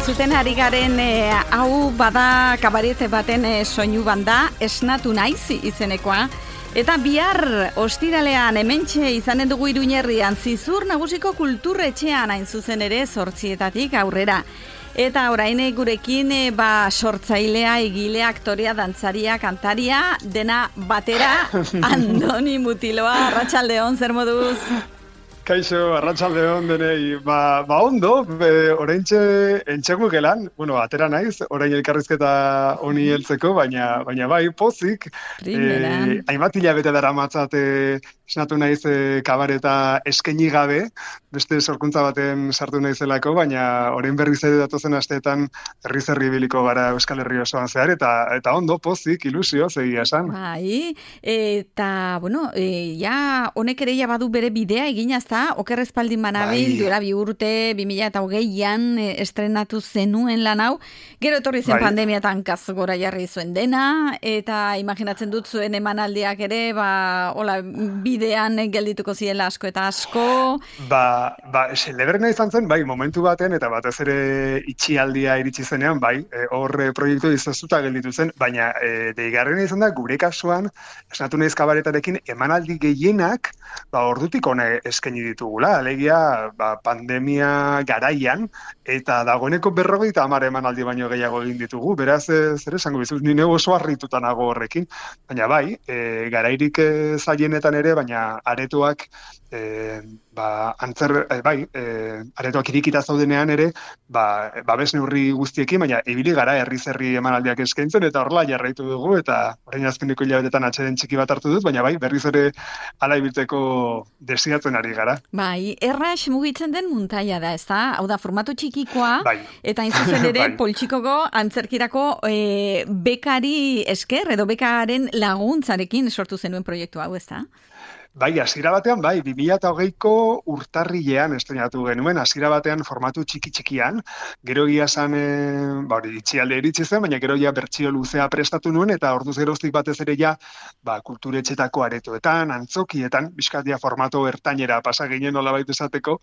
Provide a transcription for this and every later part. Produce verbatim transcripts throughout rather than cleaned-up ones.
entzuten ari garen e, hau bada kabarete baten e, soinu banda, Esnatu naiz izenekoa. Eta bihar ostiralean hementxe izanen dugu Iruñerrian Zizur Nagusiko Kulturretxean hain zuzen ere zortzietatik aurrera. Eta orain gurekin e, ba, sortzailea, egilea, aktorea, dantzaria, kantaria, dena batera, Andoni Mutiloa, arratsaldeon, zer moduz? Kaixo, arratsaldeon denei, ba, ba ondo, be, oraintxe entxegu gelan, bueno, atera naiz, orain elkarrizketa honi heltzeko, baina, baina bai, pozik, eh, hainbat hilabete dara matzate esnatu naiz e, kabareta eskaini gabe, beste sorkuntza baten sartu naizelako, baina orain berriz ere datozen asteetan herriz herri ibiliko gara Euskal Herri osoan zehar, eta eta ondo, pozik, ilusio, zegia esan. Bai, eta, bueno, e, ja, honek ere ja badu bere bidea egina, ezta, oker espaldin manabil, bai. Duela bi urte, bi mila eta hogeian e, estrenatu zenuen lan hau, gero etorri zen bai. Pandemiatan kaz gora jarri zuen dena, eta imaginatzen dut zuen emanaldiak ere, ba, hola, bidean geldituko ziela asko eta asko. Ba, ba, celebrena izan zen, bai, momentu baten, eta batez ere itxialdia iritsi zenean, bai, e, hor e, proiektu izaztuta gelditu zen, baina e, deigarrena izan da, gure kasuan, esnatu naiz kabaretarekin, emanaldi gehienak, ba, ordutik hona eskaini ditugula, alegia, ba, pandemia garaian, eta dagoeneko berrogeita hamar emanaldi baino gehiago egin ditugu, beraz, zer esango bizuz, nire oso harrituta nago horrekin, baina bai, e, garairik e, zailenetan ere, baina aretoak, e, ba, antzer, e, bai, e, aretoak irikita zaudenean ere, ba, babes neurri guztiekin, baina ibili gara herriz herri emanaldiak eskaintzen, eta horrela jarraitu dugu, eta orain azkeneko hilabetetan atxeden txiki bat hartu dut, baina bai, berriz ere ala ibiltzeko desiatzen ari gara. Bai, errax mugitzen den muntaia da, ezta? Hau da, formatu txikikoa, bai. Eta inzuzen ere, bai. Poltxikoko antzerkirako e, bekari esker, edo bekaren laguntzarekin sortu zenuen proiektu hau, ezta? Bai, hasiera batean, bai, bi mila hogeiko urtarrilean estrenatu genuen, hasiera batean formatu txiki-txikian, gero egia esan, e, ba, hori, itxialde iritsi zen, baina gero ja bertsio luzea prestatu nuen, eta orduz geroztik batez ere ja, ba, kulturetxetako aretoetan, antzokietan, bizkatia formatu ertainera pasa ginen nolabait esateko,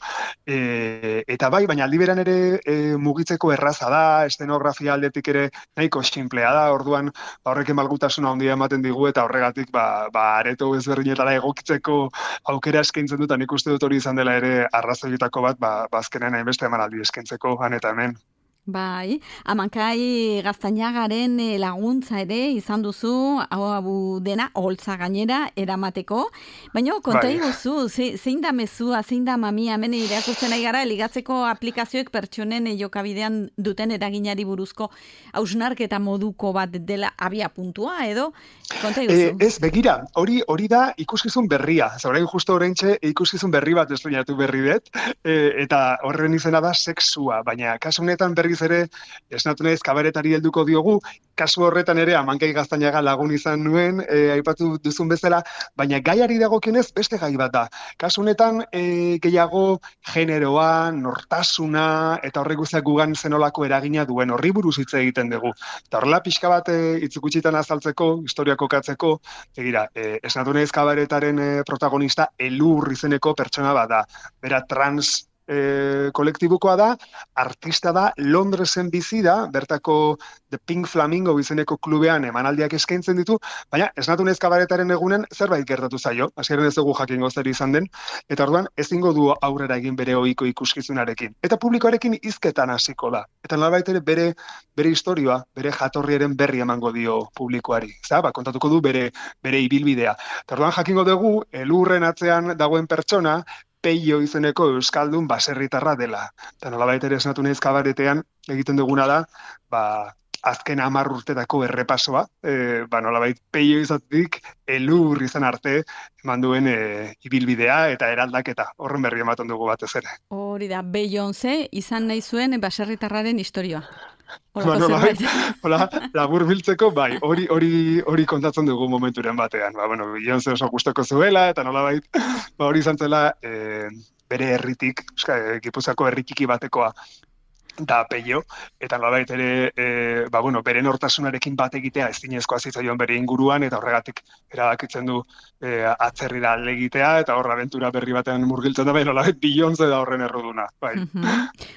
e, eta bai, baina aldi beran ere e, mugitzeko erraza da, estenografia aldetik ere nahiko sinplea da, orduan, ba, horrekin malgutasuna handia ematen digu, eta horregatik, ba, ba areto ezberdinetara egokitzeko aukera eskaintzen dut, nik uste dut hori izan dela ere arrazoietako bat, ba, bazkenen hainbeste emanaldi eskaintzeko han eta hemen. Bai, Amankai Gaztainagaren laguntza ere izan duzu, hau abu dena, holtza gainera eramateko, baina konta bai. iguzu, ze, zein da mezua, zein da mamia, hemen irakurtzen ari gara, ligatzeko aplikazioek pertsonen jokabidean duten eraginari buruzko hausnarketa moduko bat dela abia puntua, edo? Konta iguzu. E, ez, begira, hori hori da ikuskizun berria, zaurain justo oraintxe ikuskizun berri bat estrenatu berri dut, e, eta horren izena da sexua, baina kasu honetan berri ere esnatu naiz kabaretari helduko diogu, kasu horretan ere Amankai Gaztainaga lagun izan nuen, e, aipatu duzun bezala, baina gaiari dagokionez beste gai bat da. Kasu honetan e, gehiago generoa, nortasuna, eta horrek guztiak gugan zenolako eragina duen horri buruz hitz egiten dugu. Eta horrela pixka bat e, itzukutxitan azaltzeko, historia kokatzeko, egira, e, esnatu naiz kabaretaren e, protagonista Elur izeneko pertsona bat da. Bera trans E, kolektibukoa da, artista da, Londresen bizi da, bertako The Pink Flamingo izeneko klubean emanaldiak eskaintzen ditu, baina esnatu naiz kabaretaren egunen zerbait gertatu zaio, hasieran ez dugu jakingo zer izan den, eta orduan ezingo du aurrera egin bere ohiko ikuskizunarekin. Eta publikoarekin hizketan hasiko da. Eta nolabait ere bere bere istorioa, bere jatorriaren berri emango dio publikoari. Za, ba, kontatuko du bere bere ibilbidea. Eta orduan jakingo dugu Elurren atzean dagoen pertsona Peio izeneko euskaldun baserritarra dela. Eta nolabait ere esnatu naiz kabaretean egiten duguna da, ba, azken hamar urtetako errepasoa, e, ba, nolabait Peio izatik Elur izan arte eman duen e, ibilbidea eta eraldaketa. Horren berri ematen dugu batez ere. Hori da, Beyoncé izan nahi zuen baserritarraren historia. Ba, nolabait, hola, labur biltzeko, bai, hori hori hori kontatzen dugu momenturen batean. Ba, bueno, Beyoncé oso gustoko zuela, eta nolabait, ba, hori izan zela e, bere herritik, Gipuzkoako herri txiki batekoa. da Peio, eta nolabait ere, e, ba, bueno, bere nortasunarekin bat egitea ezinezkoa zitzaion bere inguruan, eta horregatik erabakitzen du e, atzerrira alde egitea, eta horra abentura berri batean murgiltzen da, bai, nolabait Beyoncé da horren erruduna. Bai.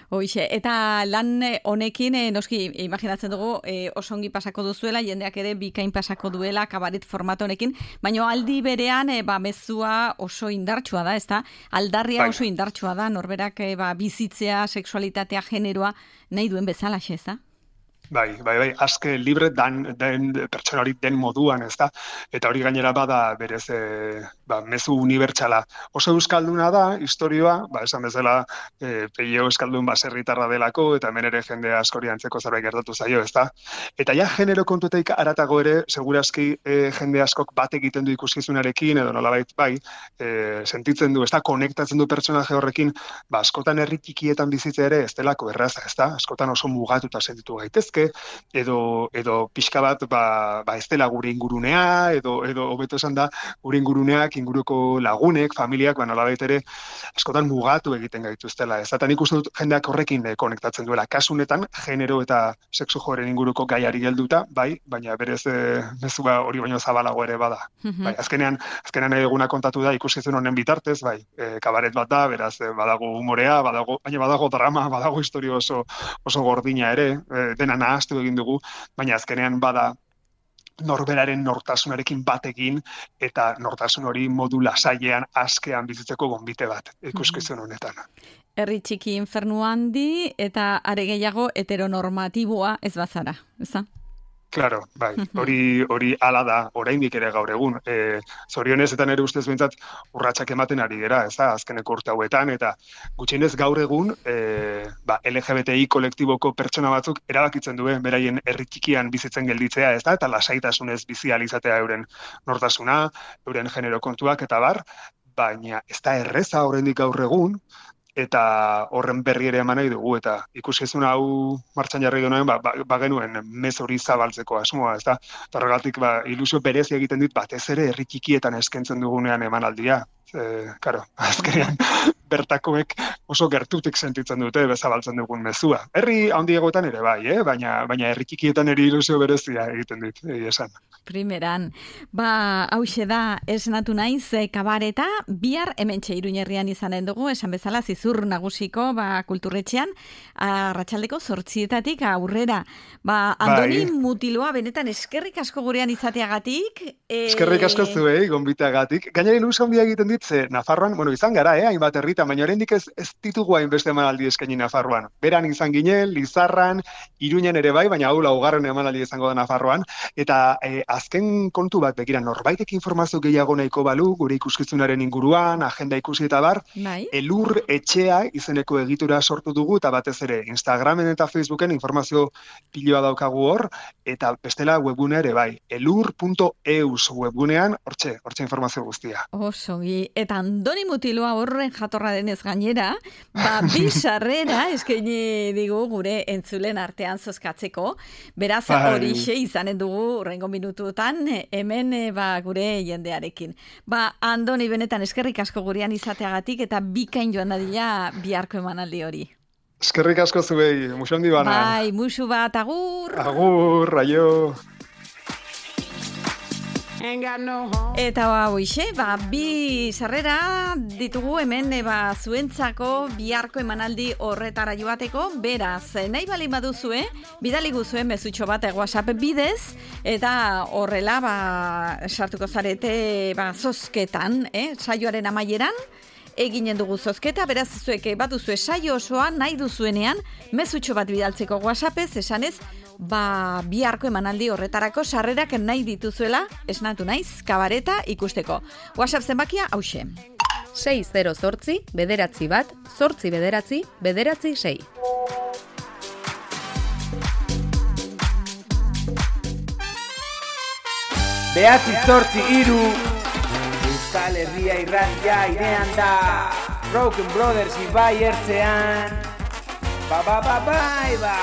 Hoixe, eta lan honekin, e, noski, imaginatzen dugu, e, oso ongi pasako duzuela, jendeak ere bikain pasako duela, kabaret formato honekin, baina aldi berean, e, ba, mezua oso indartsua da, ezta? Aldarria bai. Oso indartsua da, norberak e, ba, bizitzea, sexualitatea, generoa, nahi duen bezala, ez da? Bai, bai, bai, aske libre dan, den pertsona hori den moduan, ez da? Eta hori gainera bada berez e, ba, mezu unibertsala. Oso euskalduna da, historioa, ba, esan bezala e, Peio euskaldun baserritarra delako, eta hemen ere jende askori antzeko zerbait gertatu zaio, ez da? Eta ja genero kontuetaik aratago ere, segurazki e, jende askok bat egiten du ikuskizunarekin, edo nolabait, bai, e, sentitzen du, ez da, konektatzen du pertsonaje horrekin, ba, askotan herri txikietan bizitza ere, ez delako erraza, ez da? Askotan oso mugatuta sentitu gaitezke, edo edo pixka bat ba, ba ez dela gure ingurunea, edo edo hobeto esan da gure inguruneak, inguruko lagunek, familiak, ba nolabait ere askotan mugatu egiten gaituztela. Ez da, nik uste dut jendeak horrekin eh, konektatzen duela. Kasu honetan, genero eta sexu joeren inguruko gaiari helduta, bai, baina berez eh, mezua hori baino zabalago ere bada. Mm-hmm. Bai, azkenean, azkenean eguna kontatu da ikuskizun honen bitartez, bai, eh, kabaret bat da, beraz eh, badago humorea, badago, baina badago drama, badago historia oso oso gordina ere, eh, dena nahaztu egin dugu, baina azkenean bada norberaren nortasunarekin batekin eta nortasun hori modu lasailean askean bizitzeko gonbite bat ikuskizun honetan. Herri txiki infernu handi eta are gehiago heteronormatiboa ez bazara, ezta? Claro, bai, hori hori hala da, oraindik ere gaur egun. E, zorionez eta nere ustez behintzat urratsak ematen ari gera, ez da, azkeneko urte hauetan, eta gutxienez gaur egun e, ba, L G B T I kolektiboko pertsona batzuk erabakitzen duen beraien herri txikian bizitzen gelditzea, ez da, eta lasaitasunez bizi ahal izatea euren nortasuna, euren genero kontuak eta bar, baina ez da erreza oraindik gaur egun, eta horren berri ere eman nahi dugu, eta ikuskizun hau martxan jarri genuen, ba, ba, ba genuen mez hori zabaltzeko asmoa, ez da? Eta horregatik, ba, ilusio berezi egiten dit, batez ere herri txikietan eskaintzen dugunean emanaldia. E, karo, azkenean, bertakoek oso gertutik sentitzen dute bezabaltzen dugun mezua. Herri handiegoetan ere bai, eh? baina, baina herri txikietan ere ilusio berezia egiten dit, egi esan. Primeran, ba, hauxe da, esnatu naiz, e, kabareta, bihar hementxe Iruñerrian izanen dugu, esan bezala zizur nagusiko, ba, kulturretxean, arratsaldeko zortzietatik aurrera. Ba, Andoni bai. Mutiloa, benetan eskerrik asko gurean izateagatik. E... Eskerrik asko zuei, gonbiteagatik. Gainera ilusio handia egiten dit, ze Nafarroan, bueno, izan gara, eh, hainbat herritan, baina oraindik ez, ez ditugu hainbeste emanaldi eskaini Nafarroan. Beran izan ginen, Lizarran, Iruñan ere bai, baina hau laugarren emanaldi izango da Nafarroan, eta e, azken kontu bat begira, norbaitek informazio gehiago nahiko balu, gure ikuskizunaren inguruan, agenda ikusi eta bar, bai. Elur etxea izeneko egitura sortu dugu, eta batez ere Instagramen eta Facebooken informazio piloa daukagu hor, eta bestela webgune ere bai, elur punto eus webgunean, hortxe, hortxe informazio guztia. Osogi, eta Andoni Mutiloa horren jatorra denez gainera, ba, bi sarrera eskaini digu gure entzulen artean zozkatzeko, beraz horixe izanen dugu urrengo minututan hemen ba, gure jendearekin. Ba, Andoni, benetan eskerrik asko gurean izateagatik eta bikain joan dadila biharko emanaldi hori. Eskerrik asko zuei, musu handi bana. Bai, musu bat, agur! Agur, raio! Eta ba, hoixe, ba, bi sarrera ditugu hemen ba, zuentzako biharko emanaldi horretara joateko, beraz, nahi bali baduzue, bidali guzuen mezutxo bat WhatsApp bidez, eta horrela ba, sartuko zarete ba, zozketan, eh, saioaren amaieran, eginen dugu zozketa, beraz zuek bat duzue saio osoa nahi duzuenean, mezutxo bat bidaltzeko WhatsAppez, esanez, ba, biharko emanaldi horretarako sarrerak nahi dituzuela, esnatu naiz, kabareta ikusteko. WhatsApp zenbakia, hauxe. sei zero zortzi, bederatzi bat, zortzi bederatzi, bederatzi sei. Behatzi zortzi iru, Euskal Herria irratia irean da, Broken Brothers ibai ertzean, ba ba ba bai ba.